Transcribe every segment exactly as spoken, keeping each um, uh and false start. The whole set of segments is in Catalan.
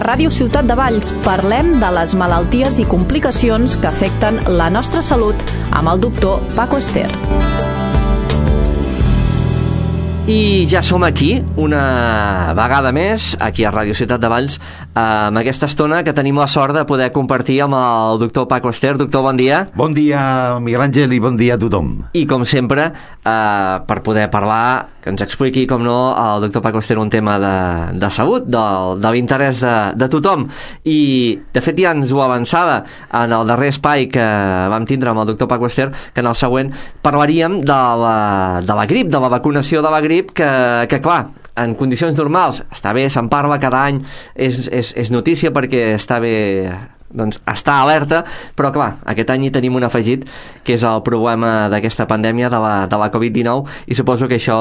Ràdio Ciutat de Valls parlem de les malalties i complicacions que afecten la nostra salut amb el doctor Paco Ester. I ja som aquí, una vegada més, aquí a Ràdio Ciutat de Valls, amb aquesta estona que tenim la sort de poder compartir amb el doctor Paco Ester. Doctor, bon dia. Bon dia, Miguel Àngel, i bon dia a tothom. I com sempre, eh, per poder parlar, que ens expliqui, com no, el doctor Paco Ester un tema de, de salut, de, de l'interès de, de tothom. I, de fet, ja ens ho avançava en el darrer espai que vam tindre amb el doctor Paco Ester, que en el següent parlaríem de la, de la grip, de la vacunació de la grip, que, que clar, en condicions normals està bé, se'n parla cada any, és, és, és notícia perquè està bé, doncs està alerta, però clar, aquest any hi tenim un afegit que és el problema d'aquesta pandèmia de la, de la covid dinou, i suposo que això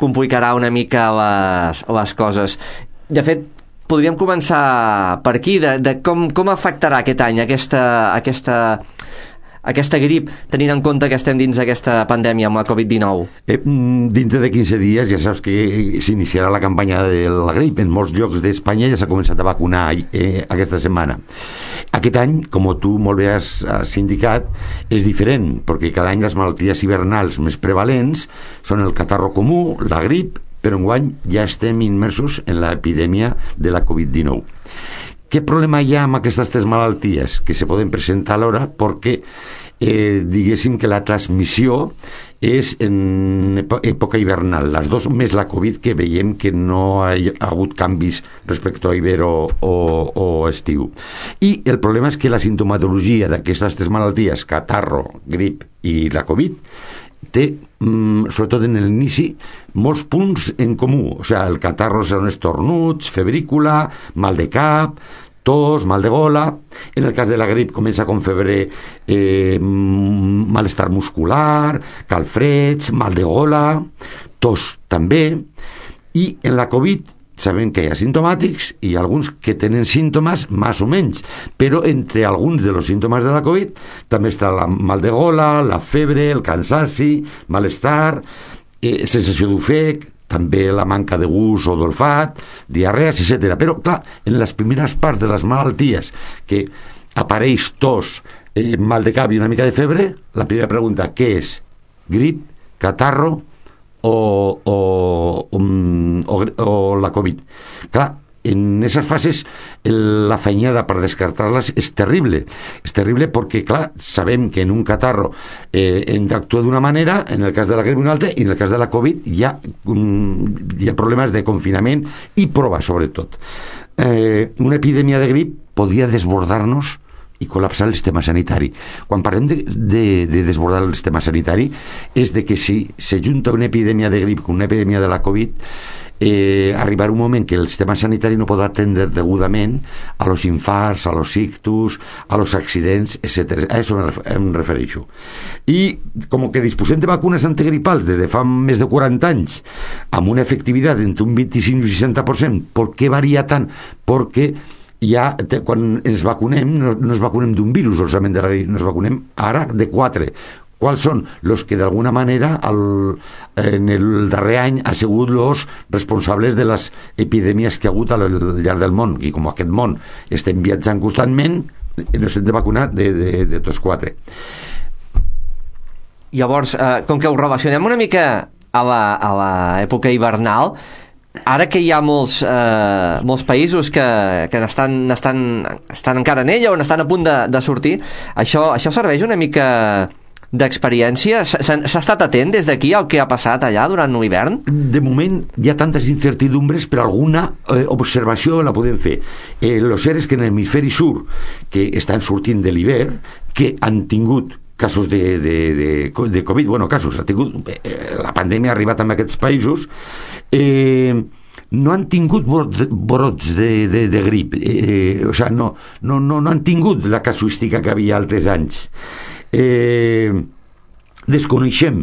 complicarà una mica les, les coses. De fet, podríem començar per aquí, de, de com, com afectarà aquest any aquesta, aquesta aquesta grip, tenint en compte que estem dins d'aquesta pandèmia amb la covid dinou? Eh, dintre de quinze dies ja saps que s'iniciarà la campanya de la grip. En molts llocs d'Espanya ja s'ha començat a vacunar eh, aquesta setmana. Aquest any, com tu molt bé has, has indicat, és diferent, perquè cada any les malalties hivernals més prevalents són el catarro comú, la grip, però enguany ja estem immersos en l'epidèmia de la covid dinou. Què problema hi ha amb aquestes tres malalties? Que se poden presentar alhora perquè eh, diguéssim que la transmissió és en època hivernal, les dues més la Covid, que veiem que no ha hagut canvis respecte a hivern o, o, o estiu. I el problema és que la sintomatologia d'aquestes tres malalties, catarro, grip i la Covid, té, mm, sobretot en l'inici, molts punts en comú. O sigui, el catarro són estornuts, febrícula, mal de cap, tos, mal de gola. En el cas de la grip comença com febre, eh, malestar muscular, calfreds, mal de gola, tos també. I en la Covid sabem que hi ha simptomàtics i alguns que tenen símptomes més o menys, però entre alguns de los símptomes de la Covid també està la mal de gola, la febre, el cansaci, malestar, eh, sensació d'ofec, també la manca de gust o d'olfat, diarrees, etcètera. Però, clar, en les primeres parts de les malalties que apareix tos, eh, mal de cap i una mica de febre, la primera pregunta, què és? Grip, catarro o, o, um, o, o la Covid? Clar, en aquestes fases la feinada per descartar-les és terrible. És terrible perquè, clar, sabem que en un catarro eh, hem d'actuar d'una manera, en el cas de la grip una altra, i en el cas de la Covid hi ha, um, hi ha problemes de confinament i prova, sobretot. Eh, una epidèmia de grip podria desbordar-nos i col·lapsar el sistema sanitari. Quan parlem de, de, de desbordar el sistema sanitari és de que si s'ajunta una epidèmia de grip con una epidèmia de la Covid, eh, arribarà un moment que el sistema sanitari no podrà atendre degudament a los infarts, a los ictus, a los accidents, etcètera. A això em refereixo. I com que disposem de vacunes antigripals des de fa més de quaranta anys, amb una efectivitat entre un vint-i-cinc i un seixanta per cent, per què varia tant? Perquè ja, quan ens vacunem, no, no ens vacunem d'un virus, solament de la grip, nos vacunem ara de quatre. Quals són els que d'alguna manera el, en el darrer any ha sigut els responsables de les epidèmies que ha hagut al llarg del món, i com aquest món estem viatjant constantment, ens hem de vacunar de, de, de tots quatre. Llavors, eh, com que ho relacionem una mica a l'època hivernal, ara que hi ha molts, eh, molts països que, que estan, estan, estan encara en ella o estan a punt de, de sortir, això, això serveix una mica d'experiència? S'ha estat atent des d'aquí al que ha passat allà durant l'hivern? De moment hi ha tantes incertidumbres, però alguna eh, observació la podem fer. Eh, lo cert és que en l'hemisferi sur, que estan sortint de l'hivern, que han tingut casos de, de, de, de Covid, bueno, casos, ha tingut, eh, la pandèmia ha arribat a aquests països, eh, no han tingut brots de, de, de grip, eh, o sigui, no, no, no, no han tingut la casuística que havia altres anys. Eh, desconeixem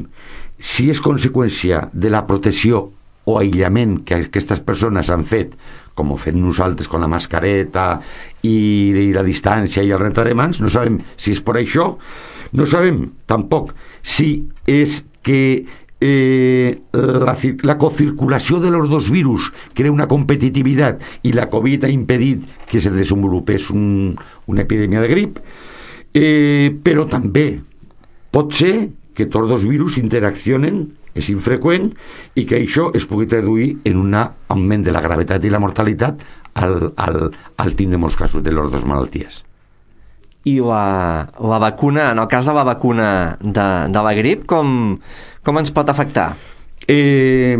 si és conseqüència de la protecció o aïllament que aquestes persones han fet, com ho fem nosaltres con la mascareta i, i la distància i el rentar de mans. No sabem si és per això. No sabem tampoc si és que eh, la, la cocirculació de los dos virus crea una competitivitat i la Covid ha impedit que se desenvolupés un, una epidèmia de grip, eh, però també pot ser que tots dos virus interaccionen, és infreqüent, i que això es pugui traduir en un augment de la gravetat i la mortalitat al, al, al tindre molts casos de les dues malalties. I la, la vacuna, en el cas de la vacuna de, de la grip, com, com ens pot afectar? Eh,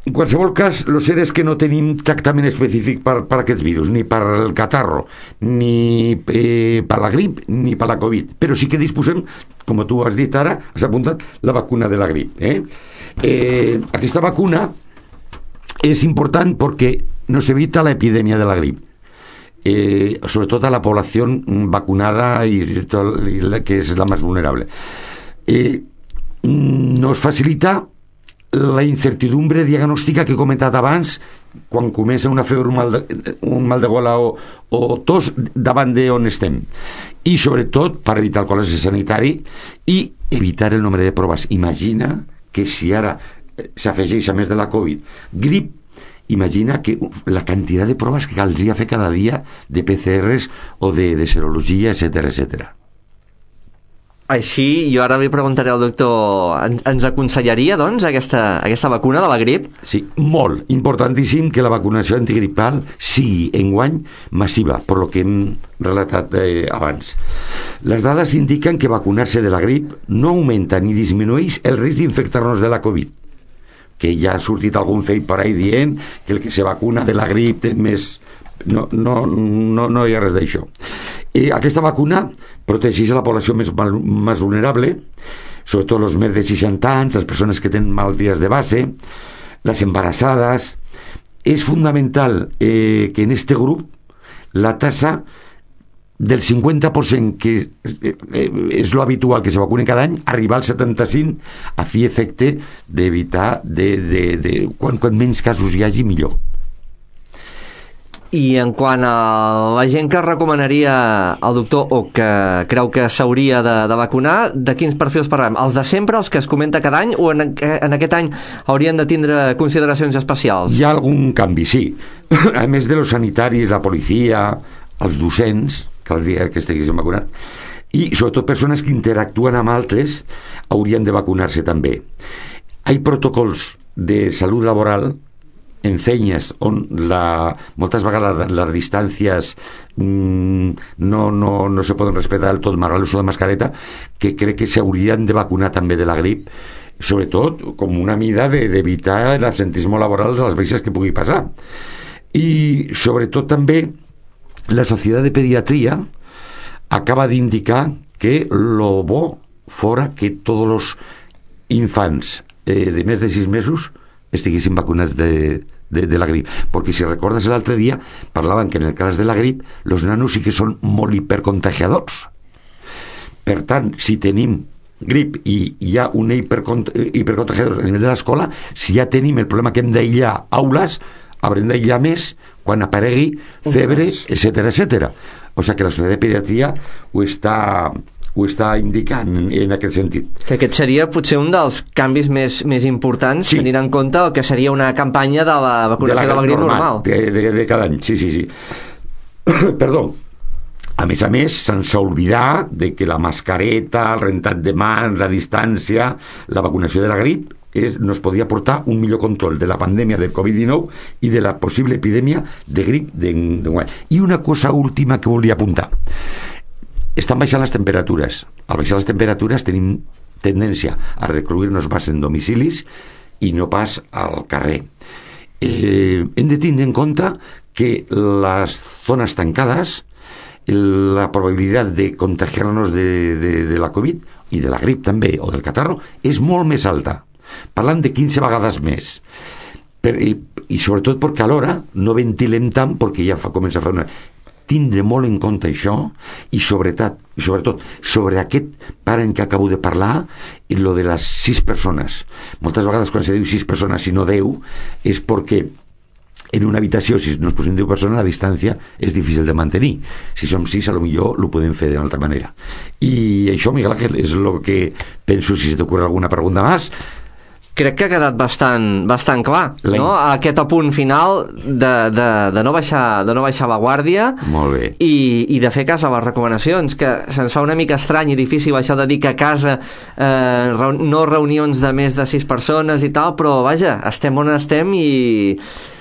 en qualsevol cas, el cert és que no tenim tractament específic per, per aquest virus, ni per el catarro, ni eh, per la grip, ni per la Covid. Però sí que disposem, com tu has dit ara, has apuntat, la vacuna de la grip. Eh? Eh, aquesta vacuna és important perquè nos evita la epidèmia de la grip. Eh, sobretot a la població vacunada i, i la que és la més vulnerable. Eh, nos facilita la incertidumbre diagnòstica que he comentat abans quan comença una febre, un mal de, un mal de gola o, o tos davant d'on estem, i sobretot per evitar el col·lapse sanitari i evitar el nombre de proves. Imagina que si ara s'afegeix, a més de la Covid, grip, imagina que la quantitat de proves que caldria fer cada dia de P C Rs o de, de serologia, etcètera, etcètera. Així, jo ara li preguntaré al doctor, en, ens aconsellaria, doncs, aquesta, aquesta vacuna de la grip? Sí, molt. Importantíssim que la vacunació antigripal sigui enguany massiva, per lo que hem relatat eh, abans. Les dades indiquen que vacunar-se de la grip no augmenta ni disminueix el risc d'infectar-nos de la Covid, que ja ha sortit algun fake per ahí dient que el que se vacuna de la grip té més... No, no, no, no hi ha res d'això. Eh, aquesta vacuna protegeix a la població més, més vulnerable, sobretot els més de seixanta anys, les persones que tenen malalties de base, les embarassades. És fundamental eh, que en este grup la tasa del cinquanta per cent, que eh, és lo habitual que se vacunen cada any, arribar al setanta-cinc per cent a fi efecte d'evitar de, de, de, quan, quan menys casos hi hagi, millor. I en quant a la gent que recomanaria al doctor o que creu que s'hauria de, de vacunar, de quins perfils parlem? Els de sempre, els que es comenta cada any, o en, en aquest any haurien de tindre consideracions especials? Hi ha algun canvi, sí. A més de los sanitaris, la policia, els docents, caldria que estiguessin vacunats, i sobretot persones que interactuen amb altres haurien de vacunar-se també. Hi ha protocols de salut laboral en feines on la, moltes vegades les distàncies mmm, no, no, no se poden respectar del tot, malgrat l'ús de mascareta, que crec que s'haurien de vacunar també de la grip, sobretot com una mida de, d'evitar l'absentisme laboral de les baixes que pugui passar. I sobretot també la Societat de Pediatria acaba d'indicar que lo bo fora que tots els infants eh, de més de sis mesos estiguessin vacunats de, de, de la grip, perquè si recordes l'altre dia parlaven que en el cas de la grip els nanos sí que són molt hipercontagiadors. Per tant, si tenim grip i hi ha un hipercont- hipercontagiador a nivell de l'escola, si ja tenim el problema que hem d'aïllar aules, haurem d'aïllar més quan aparegui febre, etcètera, etcètera. O sigui que la Societat de Pediatria ho està... ho està indicant en, en aquest sentit. Que aquest seria potser un dels canvis més, més importants, sí, tenint en compte el que seria una campanya de la vacunació de la, de la grip normal. normal. De, de, de cada any, sí, sí, sí. Perdó. A més a més, sense oblidar de que la mascareta, el rentat de mans, la distància, la vacunació de la grip és, nos podia portar un millor control de la pandèmia del covid dinou i de la possible epidèmia de grip d'enguany. I una cosa última que volia apuntar. Estan baixant les temperatures. Al baixar les temperatures tenim tendència a recluir-nos més en domicilis i no pas al carrer. Eh, hem de tindre en compte que les zones tancades, la probabilitat de contagiar-nos de, de, de la Covid i de la grip també, o del catarro, és molt més alta. Parlant de quinze vegades més. Per, i, i sobretot perquè alhora no ventilem tant, perquè ja fa, comença a fer una... Tindre molt en compte això i sobretot, i sobretot sobre aquest parent que acabo de parlar, i lo de les sis persones. Moltes vegades quan se diu sis persones i no deu és perquè en una habitació, si nos posem deu persones, la distància és difícil de mantenir. Si som sis, a lo millor ho podem fer d'una altra manera. I això, Miguel Ángel, és el que penso. Si se t'ocorre alguna pregunta més, crec que ha quedat bastant, bastant clar, La... no? Aquest apunt final de, de, de, no baixar, de no baixar la guàrdia. Molt bé. I, i de fer cas a les recomanacions, que se'ns fa una mica estrany i difícil això de dir que a casa eh, no reunions de més de sis persones i tal, però vaja, estem on estem i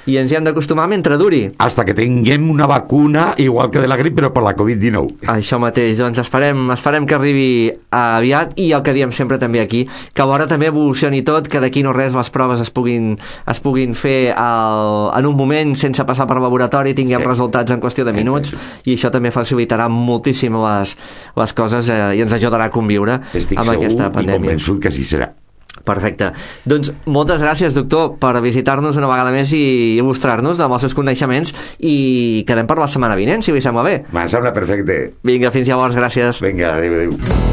i ens hi hem d'acostumar mentre duri. Hasta que tinguem una vacuna igual que de la grip, però per la covid dinou. Això mateix, doncs esperem, esperem que arribi aviat, i el que diem sempre també aquí, que alhora també evolucioni tot, que d'aquí no res les proves es puguin, es puguin fer al, en un moment sense passar per laboratori, tinguem sí. resultats en qüestió de minuts, i això també facilitarà moltíssim les, les coses eh, i ens ajudarà a conviure Estic amb aquesta pandèmia. Estic segur i convençut que així serà. Perfecte. Doncs moltes gràcies, doctor, per visitar-nos una vegada més i il·lustrar-nos amb els seus coneixements, i quedem per la setmana vinent, si li sembla bé. Me'n sembla perfecte. Vinga, fins llavors, gràcies. Vinga, adéu, adéu.